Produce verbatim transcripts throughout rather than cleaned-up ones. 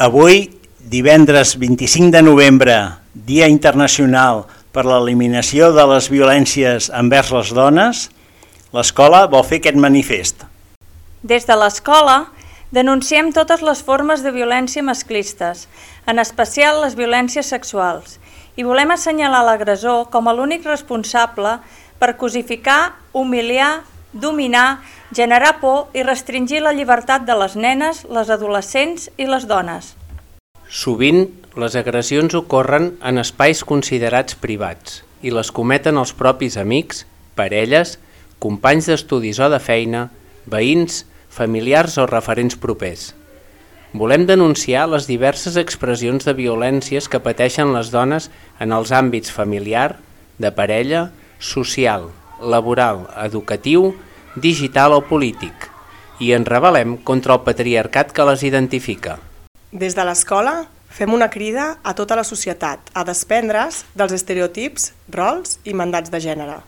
Avui, divendres vint-i-cinc de novembre, Dia Internacional per l'Eliminació de les Violències envers les Dones, l'escola vol fer aquest manifest. Des de l'escola denunciem totes les formes de violència masclistes, en especial les violències sexuals, i volem assenyalar l'agressor com a l'únic responsable per cosificar, humiliar, dominar, generar por i restringir la llibertat de les nenes, les adolescents i les dones. Sovint, les agressions ocorren en espais considerats privats i les cometen els propis amics, parelles, companys d'estudis o de feina, veïns, familiars o referents propers. Volem denunciar les diverses expressions de violències que pateixen les dones en els àmbits familiar, de parella, social, laboral, educatiu, digital o polític, i ens rebel·lem contra el patriarcat que les identifica. Des de l'escola fem una crida a tota la societat a desprendre's dels estereotips, rols i mandats de gènere,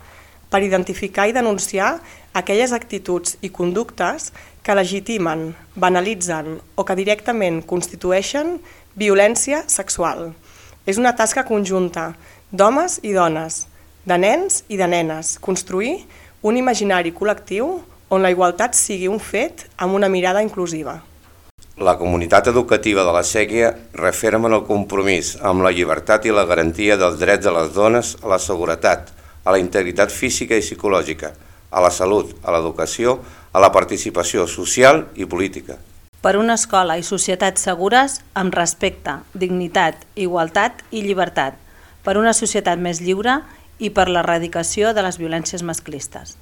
per identificar i denunciar aquelles actituds i conductes que legitimen, banalitzen o que directament constitueixen violència sexual. És una tasca conjunta d'homes i dones, de nens i de nenes, construir un imaginari col·lectiu on la igualtat sigui un fet amb una mirada inclusiva. La comunitat educativa de la Séquia referma el compromís amb la llibertat i la garantia dels drets de les dones a la seguretat, a la integritat física i psicològica, a la salut, a l'educació, a la participació social i política. Per una escola i societat segures amb respecte, dignitat, igualtat i llibertat, per una societat més lliure i per l'erradicació de les violències masclistes.